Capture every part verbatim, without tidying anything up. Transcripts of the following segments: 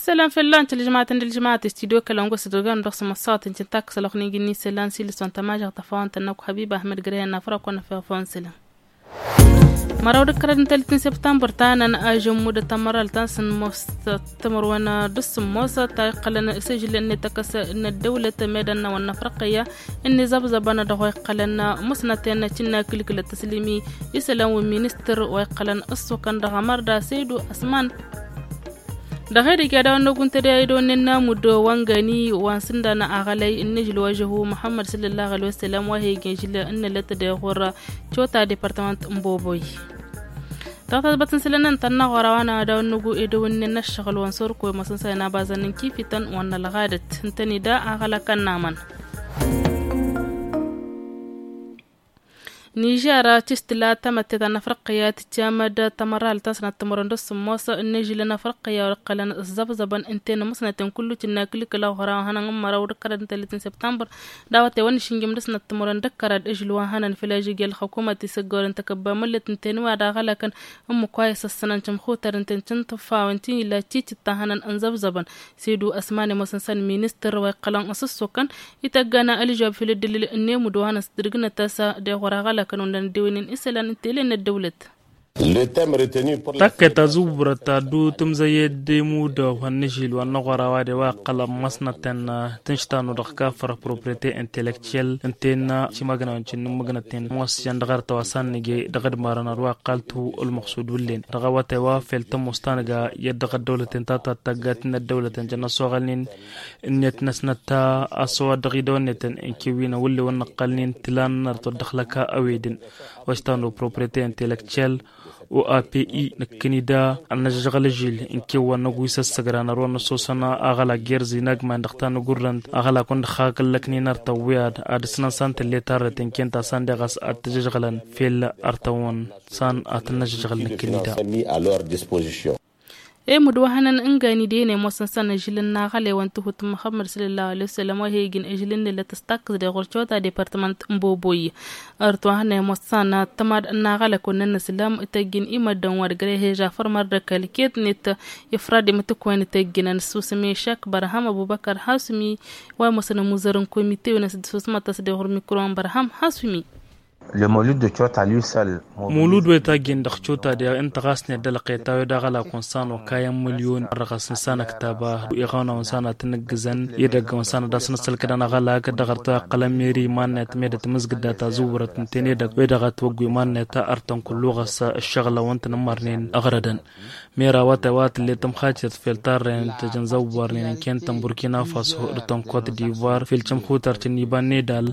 Isălan făllan tǝlǝžmatăn d-ǝlǝžmat i-studio kălăngu s-dăgg-ănn dăɣ-s măṣṣat n-tǝntak s-ălwăqq n-iji n-isălan s-ilǝs wa n-tămažăɣt tăfawăn-tăn n-akw hăbiba ahmed grăyăn n-afrăk wa n-afăɣ făw n-isălan. Măraw d-ǝkkărăd n-tăllit n-săbtămbăr ta năn ažămmud tămăralt ta n-sǝmmos tămărwen d-sǝmmos ta iqqălăn s-ažǝl n-ităkăs n-ăddăwlăt medăn wa n-afrăqăyya. Ǝnni zăbzăbăn dăɣ-wa iqqălăn musnăten cǝnna kǝlkǝlăt tăslǝmi isălan wi n-ministăr wa iqqălăn ǝssukăn dăɣ-amărda săydu asman. Dăɣ-edăgg i-ad-awăn n-ogun tădey a idăwănnen n-amud wa n-gani wa n-sǝndan aɣălay n-ažǝl wa žăhu muḥămmăd săllăllah alay wa sălam wa he-igăn žǝl n-nălăt dăɣ-ɣur-cota departămănt n-boboy. Dăɣ-tătbăt n-sălănăn tănna ɣur-a-wa n-ad-awăn n-ogu edăwănnen n-ăššăɣǝl wa n-sorko i-măsăn sa inabazăn n-kifităn wa n-ălɣadăt ǝntăne da aɣălăkăn n-aman. Nižer tistǝla tamătte ta n-afrăqqǝya tǝccamăd tamăralt ta n-sănat timărăn d-ăssǝmmos n-ažǝl n-afrăqqǝya wa iqqălăn ǝzzăbzăbăn ǝnta i-inǝmǝsnăten kullu tǝnna kǝlkǝl aɣra wa hănăn n-măraw d-ǝkkărăd n-tăllit n-săbtămbăr. Dawăt i-wăn išǝnjǝm dăr-snăt timărăn d-ǝkkărăd ažǝl wa hănăn făll-ažǝg i-ălxăkumăt isăggorăn tăkăbba mǝllăt ǝnta i-inǝwa d-aɣălăkăn. Ǝmmǝk wa isăssănăn cǝmxutăr ǝnta i-n-cǝntǝfawăn ti n-illa cicǝt ta hănăn ǝnzăbzăbăn. Săydu ăsman i-mosăn săn ministăr wa iqqălăn ăsǝssukăn ităggana ălžăwab făll-ăddǝlǝl n-emud wa hănăn s-tǝdǝgnăt a-s deɣ wăr-aɣălăkăn undan ăddewănen isălan n-tele n-ăddăwlăt. Takkăyt ta zǝwwurăt ta dd-tǝmzăyyed i-imudaw wa n-ažil wa n-aɣora wa de wa iqqălăn măsnăten tǝnštanu dăɣ-kafăr propriyete intelektyel ǝnta i-innă cimagnawen cinǝmmǝgnăten mosjăn dăɣ-arăt wa s-annǝje dăɣ-ădmarăn ar wa iqqal-tu ălmăqsud wǝllen dăɣ-awătay wa fel tămoos ta nǝga i-dd dăɣ-ăddăwlăten ta tattaggat n-ăddăwlăten jăn ăsoɣălnen. Ǝnniyăt-năsnăt ta a-s ăwadǝɣ idăwănnetăn ǝnkew wi n-awǝlle wăr nǝqqălnen tǝlan n-arăt wăr dăɣ-lăka ăwedǝn. Wăštanu propriyete intelektyel o a p i nǝkkǝni da ănnăžăžɣăl ažil ǝnkew wa n-ăgg wi s-ăssăgran ar wa n-ăssosăn aɣălak gerzi n-agman dăɣ-ta n-agurrăn aɣălak wa n-dăɣ-hakăllăknen artăn wi ad-ad-ǝsnăn san tǝlle tarret ǝnken ta san deɣ a-s ad-t-ăžăžɣălăn fel artăn-wăn san ad-t-năžăžɣăl nǝkkǝni da. Emud wa hănăn ǝngan idăyăn i-ămoosăn săn ažǝl n-aɣălay wa n-tihut n-muxămmăd săllallahu alay wa săllam wa he-ijǝn ažǝl n-nǝllăt ăstakkǝs deɣ ɣur-cota departămănt n-boboy. Ărăt wa hănăn i-ămoosăn tămad n-aɣălăk wa n-ănnăslam ităjjǝn imăddăn wa d-gre heža făr mărdăkăl ket-net ifrad imǝtǝkwen ităjjǝn ănăssusǝm i-išak bărham ăbubăkăr hasumi. Wa ămoosăn ămuzăr n-komite-wen a-s dd-susmătăs deɣ ɣur-mikro n-bărham hasumi. Mulud wa itaggen dăɣ-cota deɣ ǝnta ɣas n-ed ălqet a-wen d-aɣălak wa n-san okayăn mǝlyon ărrăɣăs n-san ăktaba iɣawna wa n-san ad-tăn-ǝggǝzăn. Edăgg wa n-san ad-asăn ăssălkădăn aɣălak dăɣ-arăt wa iqqălăn meri iman-net medăt mǝzgǝd dat azǝwwărăt ǝnta-en edăgg wa edăɣ a t-wăggu iman-net artăn kullu ɣas ǝššăɣǝlăn wa n-tăn-ǝmmărnen ăɣrădăn. Mera awătay wa tǝllet tămxacet fel tarrent tăjăn zăwwarnen ǝnken-tăn burkina faso d-tăn kot divoir fel cămxutăr cǝnniba n-edal.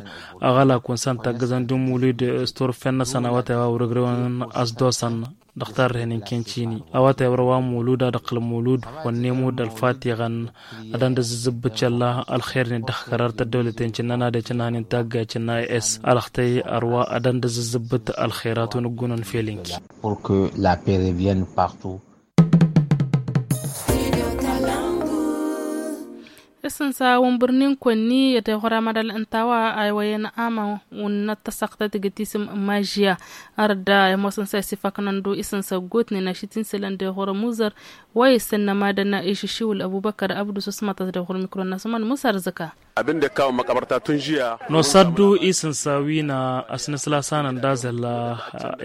Aɣălak wa n-san taggăzăn d-mulud s-turfen-năsăn awătay wa wăr-ǝgrewăn a-s dosăn dăɣ-tarrehen ǝnken cini awătay wăr-ăwa mulud ad-ăqqǝl mulud. Wănne mulud ălfatiɣăn ad-ăndăzzǝzzǝbbǝt šălla ălxer-net dăɣ-kărar tăddăwlăten cǝnnăn ad-ecǝn hanin taggayt cǝnna i-s alăxtăy ărwa ad-ăndăzzǝzzǝbbǝt ălxerat wa n-ǝggunăn fel-inki. Pour que la paix revienne partout. Isǝnsa wa n-bărnin kăwănni i-ad-iɣur amadal ǝnta a-wa a iwăyăn aman wa n-ad-tăsăɣtăt igǝt isǝm n-mažya. Arda i-ămoosăn sa isifaknăn du isǝnsa ăggootnen ašit n-isălan d-iɣur ămuzăr wa isǝnnămadăn išǝššiwǝl ăbubăkăr abdu s-osmătăs d-iɣur mikro n-asumăn musa ărzǝka. Abin da ya kawo makabarta tun jiya. Nosăddu isǝnsa wi n-asnǝsla sanăn d-azăl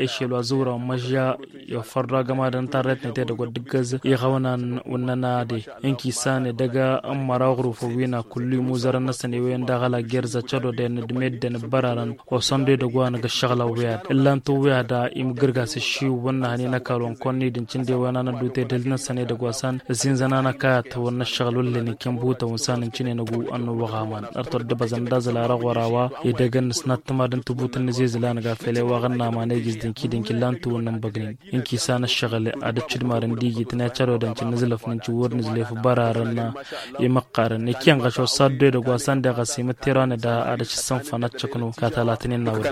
ešel wa zǝwra wa n-mažya. Iwăffăr du agămadăn tarret-net edăgg wa dd-ǝggăz iɣăwnan wa n-nănade ǝnki san edăgg n-măraw ɣur-ufăw wi n-a kullu imuzărăn-năsăn iwăyăn daɣ ăla gerza cădodăyăn d-meddǝn ǝbbărarăn. Osăndu edăgg wa năgg ǝššăɣǝlăn wi ad-ǝllan-t wi ad-imǝggǝrga s-ǝššiw wăr nǝhăn inăkal wa n-kăwăn-nidǝncǝn d-ewăn anăddut edăl-năsăn edăgg wa san ǝzinzăn anăkayăt wăr năššăɣǝl wăllen ikken buhutăn wa n-san ǝncǝnen ăgg ănnuwăɣ aman. Ărtăr d-ăbăzăn d-azăl arăɣ-wăr-a-wa edăgg ănnăsnat tǝmad n-tǝbut n-inǝzezǝl a năga fel i-wa ɣănnaman egǝz dănki-dănki ǝllan-t wăr nǝnbăgnen. Ǝnki s-anăššăɣǝl ad-ǝccǝdmarăn d-igit n-ecădodăn cǝnnǝzlăf n-incǝwwăr nǝzlef bărarăn imăqqarăn ikyăn ɣăš osaddu edăgg wa san deɣ ăsimǝttirăn da ad-ăššǝssǝnfăn ad-tǝknu katalatnen n-awăr.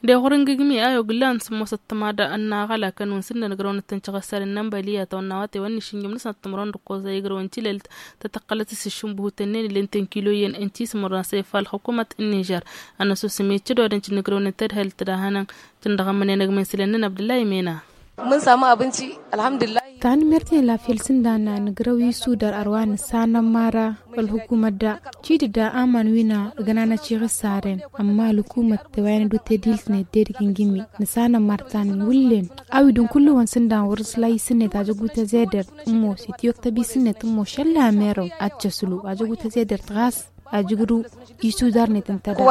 Dăɣ-ɣur n-gǝgmi a oglan s-ămoosăt tămada n-aɣălakăn wa n-sǝnnăn ǝgrăwăn d-tăn-căɣăssarăn n-ănbăliyatăwăn n-awătay wa n-išǝnjǝm dăɣ-săn timărăn d-ăkkoẓ a igrăwăn tilălt tăt-ăqqălăt s-iššǝnbǝhutăn-nen ǝllen tănkiloyăn n-tismărăn s-efal xukǝmăt n-nižer. Ănăsusǝm i-cǝdodăn cǝnnǝgrăwăn tădhălt d-ahănăn cǝndăɣ ămmănen ăgg-mănsǝlăn-năn abdăllah imena. Mǝnsa mă abǝnci. Alhamdulillah. Tanǝmmerten la fel s-ǝnda n-anǝgrăw isudar ărwa nǝssanăn mara ălhukumăt da. Cidǝdda aman wi n-agǝnanăt iɣǝssaren ămma ălhukumăt tewăyăn d-utediltnet dedǝg ingǝmmi. Nǝssanăn martan wǝllen a-wi d-ǝnkullu-wăn s-ǝnda n-wăr-s la isǝnnet ajăg utăzedert ămoos itiwăktăb isǝnnet ămoos šălla merăw ad-t-ăslu ajăg utăzedert ɣas ajǝgru. Isudarnet ǝnta da.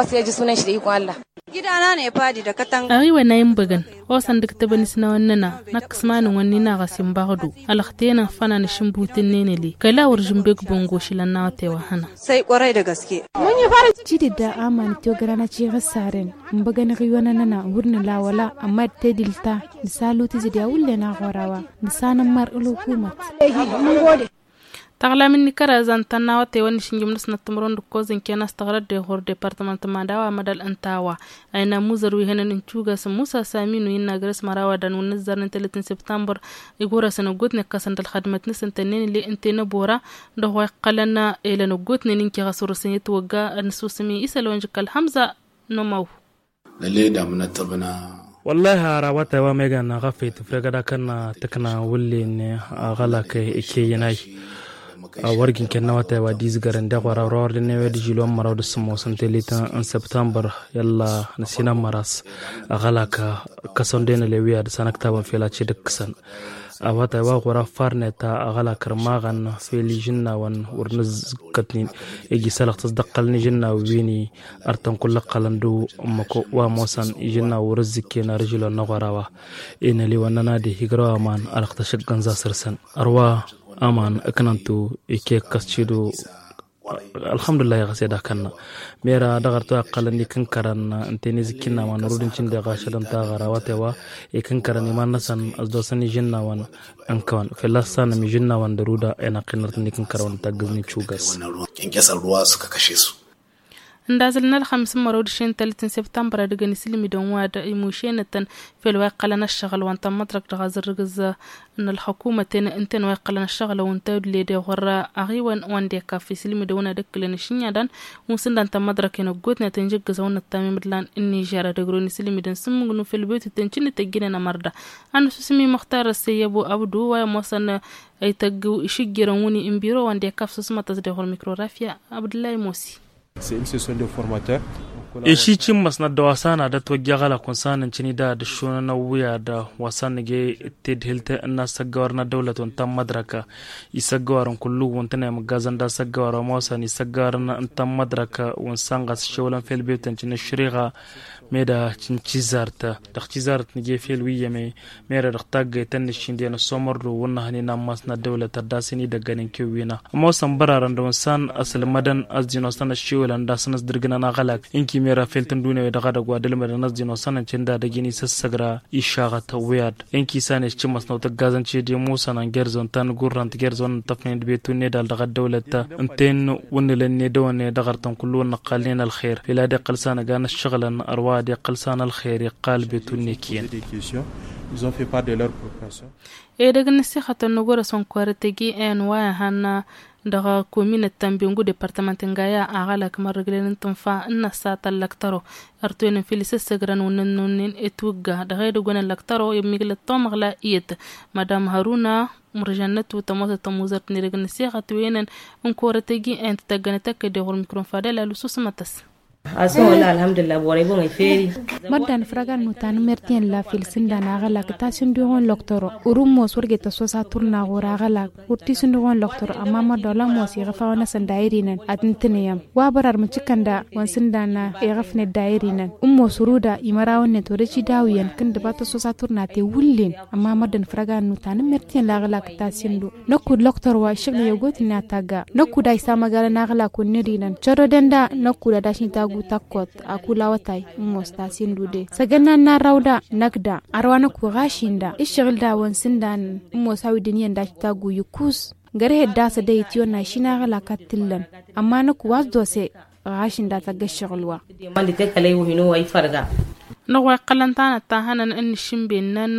Aɣiwăn a inbăgăn osăn d-ǝktăbăn isnawăn-năna. Năkk s-imanăn-wăn n-inaɣ a-s inbaɣdu ălăxtăyăn ănfănăn ašǝnbut-ǝnnin ǝli kăla wăr žǝnbeg băngošǝl ănnawăt i-wa hănăn. Cidǝdda aman ăttiwăgrăn ătiɣǝssaren. Ǝnbăgăn iɣiwănăn-năna wăr nǝla wăla ămma d-tedil ta nǝsalutǝzǝd i-a wǝllen aɣora wa nǝsanămmar ălhukumăt. Taɣlamin n-ikărazan ta n-awătay wa n-išǝnjǝm n-asnăt timǝrwen d-ǝkkoẓ ǝnken a-s tăɣrăd dehor departămant n-madawa mădal ǝnta a-wa. Ayna muzăr wi hănen n-cugas musa saminu innă agres măraw ad-dăn wǝnn ǝzzarnen tălăt n-sibtambăr. Igorasăn ăggootnen ǝkkăsăn d-ălxădmăt-năsăn tănnen ǝlle ǝnta i-năbora dăɣ-wa iqqălăn elăn ăggootnen ǝnkeɣ a-s wăr-săn i-ătwăgga ad-nǝsusǝm i-isăl wa n-žǝkka ălhămza. N-ămaw. Năled amnăt ăbna. Wăllah ara awătay wa megan ɣăfăy tǝfregăd akăn tǝkna wǝllen aɣălak ikeyyăn ay. Wăr ginken n-awătay wa d-izgărăn deɣ wăr-awăr dănnewe d-žilon măraw d-sǝmmos n-telit n-săbtămbăr. Yălla nǝsinămmăr a-s aɣălak ǝkkăsăn denăle wi ad-săn ăktabăn fel ad-t-dd-ǝkkǝsăn. Awătay wa ɣur-affarnet aɣălak ărmaɣăn fel ižǝnnawăn wăr nǝzkătnin iji sălăɣ tăsdăqqălăn ižǝnnaw wini. Ărtăn kull ăqqălăn d-ummăko wa ămoosăn ižǝnnaw wăr-ǝzzǝkken ar ǝžǝlon n-aɣora wa. Inăliwăn-năna de igrăw aman ălăɣtăš ǝggăn za săr-săn ărwa aman ǝknăntu ike ǝkkăs cidu. Ălxămdullah iɣăs ed akănna mera dăɣ-ărtăw a ǝqqălăn ikǝnkărăn ǝnta i-nǝzǝkkinna ma nărud n-cǝndeɣ ašăl ǝnta ɣăr awătay wa ikǝnkărăn iman-năsăn ăsdosăn ižǝnnawăn. Ǝnkăwăn fălla-s sanăm ižǝnnawăn d-ăruda i-năqqin nărtăn ikǝnkărăn wa n-taggǝz n-icugas. Ǝndazăl n-ălxămis n-mărăw d-šen tălăt n-sibtambăr ad-ǝgăn isǝlmidăn wa d-imušenătăn fel wa iqqălăn ăššăɣǝl wa n-tămmăḍrăkt dăɣ-azărrǝgǝz n-ălxăkumăten ǝntăn wa iqqălăn ăššăɣǝl a-wen tawǝdle deɣ wăr-ra aɣiwăn wa n-dekaf isǝlmidăn wăn ad-ǝkkǝlăn ašǝnyadan. Wǝn s-ǝndan tămmăḍrăken ăggootnet ǝnjǝggǝz a-wen ăttamimǝdlan n-nižer ad-ăgrăwăn isǝlmidăn s-ǝmmǝgnǝw fel butǝt tăn-cǝnnǝt ăjjǝnen ămărda ad-nǝsusǝm i-muxtar ăssăyyăbu abdu wa i-ămoosăn. Ităgg išǝjjărăn wǝnni n-biro wa n-dekaf s-osmătăs deɣ wăr-mikrorafya abdǝllay mosi. Išici n-măsnăt d-wa s-anadăt wăjja ɣălak wăn s-anăncǝni da d-aššunăn ăwwǝyad wa s-anăge tedhǝlt n-asăggăwar n-ăddăwlăt wăn ta n-mădrăk isăggăwarăn kullu wăn tăn-emăggazăn d-asăggăwar wa mosăn isăggăwarăn n-ta n-mădrăk wăn s-anɣas šewlăn fel bebtăn cǝnǝššăriɣa. Meda cǝncizart dăɣ-cizart nǝje fel wi iyyăm-e mera dăɣ-taggăyt ta n-nǝššindăyăn ăssomărdu wăr nǝhăn inammas n-ăddăwlăt ad-dd-asăn idăggăn ǝnkew wi n-a ămoosăn bărarăn dăɣ-wăn s-an ăslămădăn a-s dinosăn ăššiwǝlăn d-asăn ăsdǝrgǝnăn aɣălak. Ǝnki mera fel tǝndune-wi-dăɣ ad-ăgg wa d-ǝlmădăn a-s dinosăn ăncǝn d-ad-ăjǝn isǝssăgra išaɣăt ăwwǝyad. Ǝnki s-an ešcǝmmăsnăw tăggazăn ced i-musăn ăngerz wăn ta n-gurrant gerz wăn n-tăfnen d-betun n-edal dăɣ-ăddăwlăt ǝnta-en wǝnnǝlăn n-edăwăn-e dăɣ-artăn kullu wăn nǝqqalnen ălxer fel ad-iqqăl s-anăgan ăššăɣǝlăn ărwa ad-iqqăl s-an ălxer iqqal betun n-ekǝyăn. Edăgg n-ăssixătăn n-agurăs n-korăt agi n-wa ihăn dăɣ-kominăt ta n-bengu departămănt n-gaya aɣălak mărrǝglen n-tǝnfa n-năssat ăllăktăro. Ărtoyăn n-fil isǝssăgrăn wǝnnăn n-wǝnnin itwǝgga dăɣ-edăgg wăn ăllăktăro i-miglăt tomăɣla iyyăt madam hăruna mărjannăt wǝtămosăt tămuzărt n-edăgg n-ăssixăt wenăn n-korăt agi n-tătăggănăt ăkk deɣ wăr-mikron fadăl alusǝsmătăs. Asǝn wăla alhamdulillah borăy bămăy feri. Măddan fărăgan nutan n-mertiyen la fel s-ǝndan aɣălak tasǝnduɣon lăktăro urǝmmos wăr get ăssosa turna ɣur-aɣălak wăr tisǝnduɣon lăktăro ămma măddan wăla ămoos iɣăfawăn-năsăn dayăr-inăn ad-ǝntǝnăyăm wa bărar mǝcǝkăn da wăn s-ǝndan iɣăfnet dayăr-inăn ǝmmos ruda imărawăn-net wăr-ăsidawǝyăn kǝndǝba tăssosa turna tewǝllen. Ămma măddan fărăgan nutan n-mertiyen la aɣălak tasǝndu năkkud lăktăr wa iššăɣlăy ăggootnen ad-tagga năkkud a isamăgalăn aɣlak wǝnned-inăn căroden da năkkud ad-ašni tagut ăkkot. Akul awătay n-mos tasindu de săgănna n-arraw da năkk da ărwa năkku ɣašin da ǝššăɣǝl da wăn s-ǝndan n-mos a-wi dăniyăn daš tagu ikus. Gărăhed da s-ădăyăt iwănna išin aɣlak ad-t-ǝllăn ămma năkku wa s-dose ɣašin da tăgg ǝššăɣǝl wa. Năɣ wa iqqălăn tanăt ta hănăn n-išǝnben-năn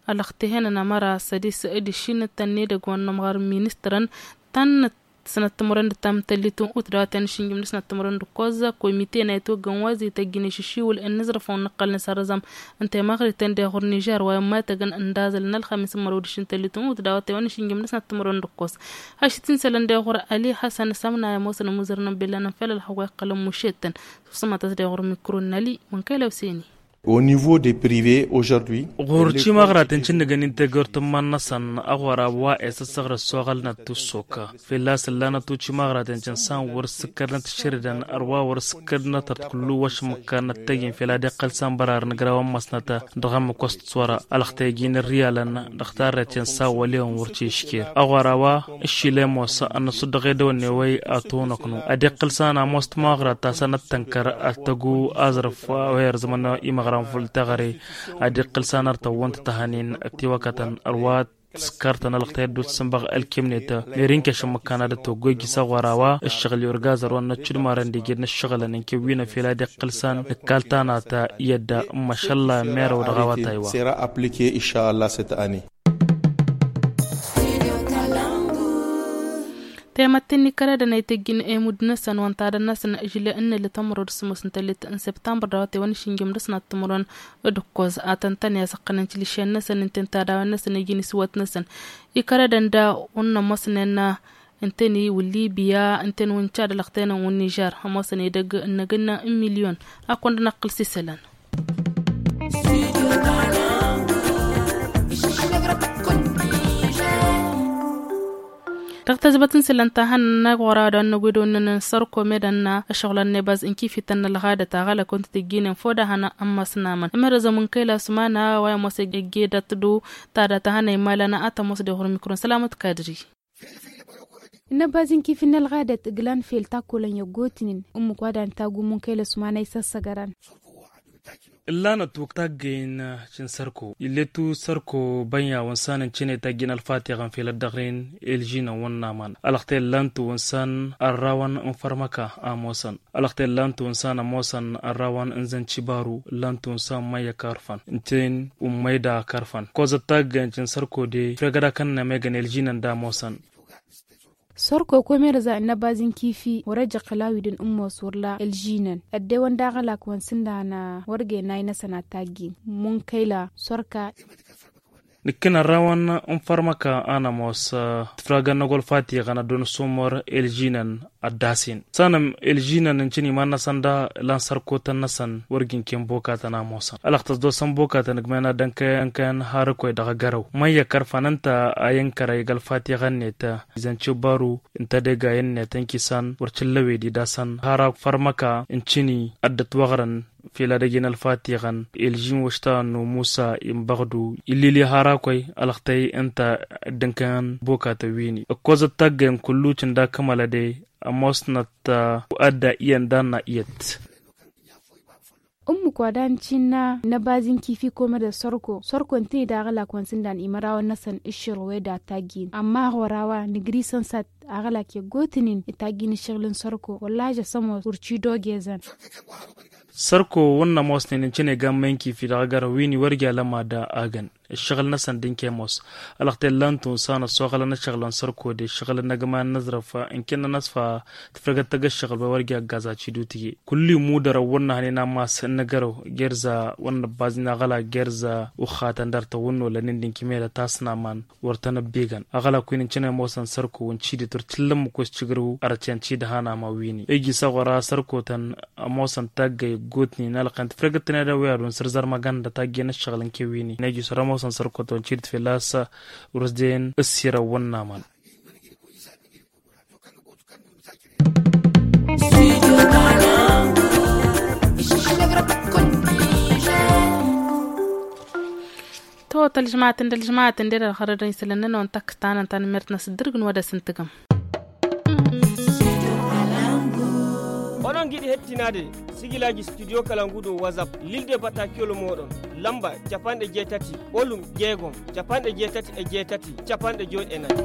ălăxtehăn n-amăra sădis d-išin tăn-edăgg wa n-inămɣar n-ministărăn tăn-năt. Sănăt timărăn d-tamtăllit n-ut dawăten šinjim d-sănăt timărăn d-koza komite n-aytogăn wazităgin iššiwǝl n-nǝzrăfăw n-năqqălnăs arăzăm n-temăɣrităn deɣur nižer wa immatăgăn n-dazăl n-ălxamis n-mărwăd šintăllit n-ut dawăten šinjim d-sănăt timărăn d-kos. Hašit insălăn deɣur ali hasăn s-amnaya mosăn muzărnăn billanăn fel ălxăwăy ăqqălăn mušetăn. Sămătăs deɣur mikro n-ali mănkăy lăwseni. Au niveau de prive aujourd'hui. Ɣur-cimaɣraten cinnǝgăn integăr tǝmman-năsăn aɣora wa esăssăɣrăs soɣălnăt tussok. Fălla-s ǝllanăt tucimaɣraten cǝnsan wăr-s ǝkkădnăt šăridăn ărwa wăr-s ǝkkădnăt ărt kullu wăšmǝkkanăt tăyyin fel ad-iqqăl san bărarăn ǝgrawăn măsnăt. Dăɣ-ămmǝk wăst s-wăra ălxtăyăjin ǝrriyalăn dăɣ-tarret cǝnsan wăl'-ewăn wăr t-išker aɣora wa. Ǝššilem wăs-ănnăsudăɣ edăwănne wăy atonăknu ad-iqqǝl san ămoos tămaɣrat ta săn ăttănkăr ad-tăggu aẓrǝf wa i-ărzămăn imăɣran făll-teɣăre. Ad-iqqǝl san ărtăwwăn tătăhănen ăktiwăkătăn ărwa tǝskărtăn ălxtăyăt d-ussǝnbăɣ ălkemnet. Meri n-keš n-imǝkkan ad-ătwăggoy jisăɣ wăr-a-wa ǝššăɣǝl i-orgazăr wa n-năccudmarăn d-ijed n-ǝššăɣǝlăn n-kewwinăn fel ad-iqqǝl san nǝkkal tanata i-ădda n-mašălla merew dăɣ-awătay wa. Sera appliquer išallah cette année. Temătten n-ikăradăn a ităjjin emud-năsăn wa n-tadăn-năsăn žile n-nălăt ămrăw d-sămoos n-tăllit n-septambăr d-awătay wa n-išǝnjăm d-asnat timǝrwen d-ǝkkoẓ a tăn-tăn i-asăqqănăn tilǝššen-năsăn ǝnta n-tadawăn-năsăn iji n-isǝwwăt-năsăn. Ikăradăn da wăr n-ămoosnen ǝnta n-iwǝlli biya ǝnta n-wǝncad ălăxtenăn wǝnnižar ămoosăn edăgg n-năgg n-milyon. Akund n-aqqǝl s-isălan. Dăɣ-tazbăt n-isălan ta hannăn n-aɣora wa dăɣ-năgwedăwăn n-sărko medăn ăššăɣǝl ănnebaz n-kifităn n-ălɣadăt aɣălak wa n-tǝtǝjjinen fodahăn ămmas n-amăn ămărăzăm n-kăyla sumana wa i-ămoos ăggedat-du. Tada ta hannăn imalăn a tămoos deɣ ɣur-mikron sălamăt kadri. N-ăbaz n-kifi n-ălɣadăt ǝglan fel takkolăn i-ăggootnen ǝmmǝk wa dan taggu munkăyla sumana isăssăgărăn. Ǝllanăt wăk taggăyăn. Cǝn sărko ill'-e-tu sărko bănn i-awăn san n-cǝne taggăyăn ălfatiɣăn fel ăddăɣren elžinăn wănnaman ălăxtăy ǝllan-tu wăn san ărrawăn n-fărmăka a ămoosăn. Ălăxtăy ǝllan-tu wăn san ămoosăn ărrawăn n-zăncibaru ǝllan-tu wăn san măyya kărfăn n-ten wăn măyda kărfăn kozăt taggăyăn cǝn sărko de fregăd akănnăm egăn elžinăn d-ămoosăn. Sărko komerăza n-ăbaz n-kifi wăr-ăjăɣ kăla wi dăn-ǝmmos wăr la ălžinăn ăddewăn d-aɣălak wa n-sǝndan wăr găyăn nay-năsăn ad-taggin munkăyla sărka. Nǝkkǝn ărrawăn n-fărmăka a nămoos tǝfragăn n-agolfat iɣăn ad-dăr-nǝsumăr elžinăn ăddasen sănăm elžinăn n-cǝn iman-năsăn da lan sărkotăn-năsăn wăr gǝnken bokatăn a ămoosăn ălăxtăs d-osăn bokatăn ǝgmăyăn ad-dd-ănkăyăn har ǝkoy dăɣ-agărăw măyya kărfăn ǝnta a i-ǝnkăra iga ălfatiɣăn-net. Izăn cibbaru ǝnta d-egay-net ǝnkisăn wăr t-ǝllăwed-i d-asăn har ak fărmăka n-cǝni ad-dd-ătwăɣrăn fel ad-ăjǝn ălfatiɣăn elžin wăšta n-umusa inbăɣdu illili har akoy ălăxtăy ǝnta dd-ǝnkăyăn bokatăn wi-ni ǝkkozăt taggăyăn kullu cǝnda kămălăde. Ămoosnăt adda iyyăn d-anna iyyăt. Ǝmmǝk wa dan cinna n-ăbaz n-kifi komădăl sărko sărko ǝntǝni d-aɣălak wa n-sǝndan imărawăn-năsăn ǝššǝr weda taggin ămma ɣur-a-wa nǝgri sănsat aɣălak i-ăggootnen i-taggin ǝššăɣǝl n-sărko wălla ažăsăm wăr-t-dd-ogezăn. Sărko wăr n-ămoosnen ǝncǝn egammăy n-kifi dăɣ-agărăw wi n-iwărja lămad agăn ǝššăɣǝl-năsăn d-ǝnke ămoos ălăxtăy ǝllan-tu n-sanăt s-oɣălăn ǝššăɣǝlăn sărko d-ǝššăɣǝl n-agma n-aẓrăf. Ǝnken-nănăs fa tǝfrăgăt tăgg ǝššăɣǝl wa iwărja ăggazaci d-utǝje kullu immudărăn wăr n-ahnen ammas n-agărăw gerza wăr n-ăbbaznen aɣălak gerza uxxatăn dăr-tăwănnolănen d-inkimedăt a-s n-aman wăr tăn-ăbbegăn aɣălak wi n-ǝncǝn ămoosăn sărko ǝnci-dd wăr t-ǝllăm ǝkos cǝgrǝw ărăt i-ănci-dd han aman wi-ni iji s-aɣora sărkotăn. Ămoosăn taggăy ăggootnen ălqăn tǝfrăgăt tăn-ed ăwwey ad-wăn săr-zărmăgăn d-ataggăy n-ǝššăɣǝl n-kewwi-ni n-iji s-wăr ămoosăn sărkotăn ǝnci-dd fălla-s wăr s-den ǝssirăn wănnaman. To tălžmatăn d-ălžmatăn d-edăl xărădăn isălăn-nănăwăn tăkk-tanăn tanmert n-asǝddǝrg n-wădăs n-tǝgăm. Onăngi d-ihet tinade sǝjǝlaj studyo kălangu d-owăzap lil de bătakiyol moɗon lămba capanɗe jetăti olum jegom capanɗe jetăti ejătăti capanɗe jod enăt.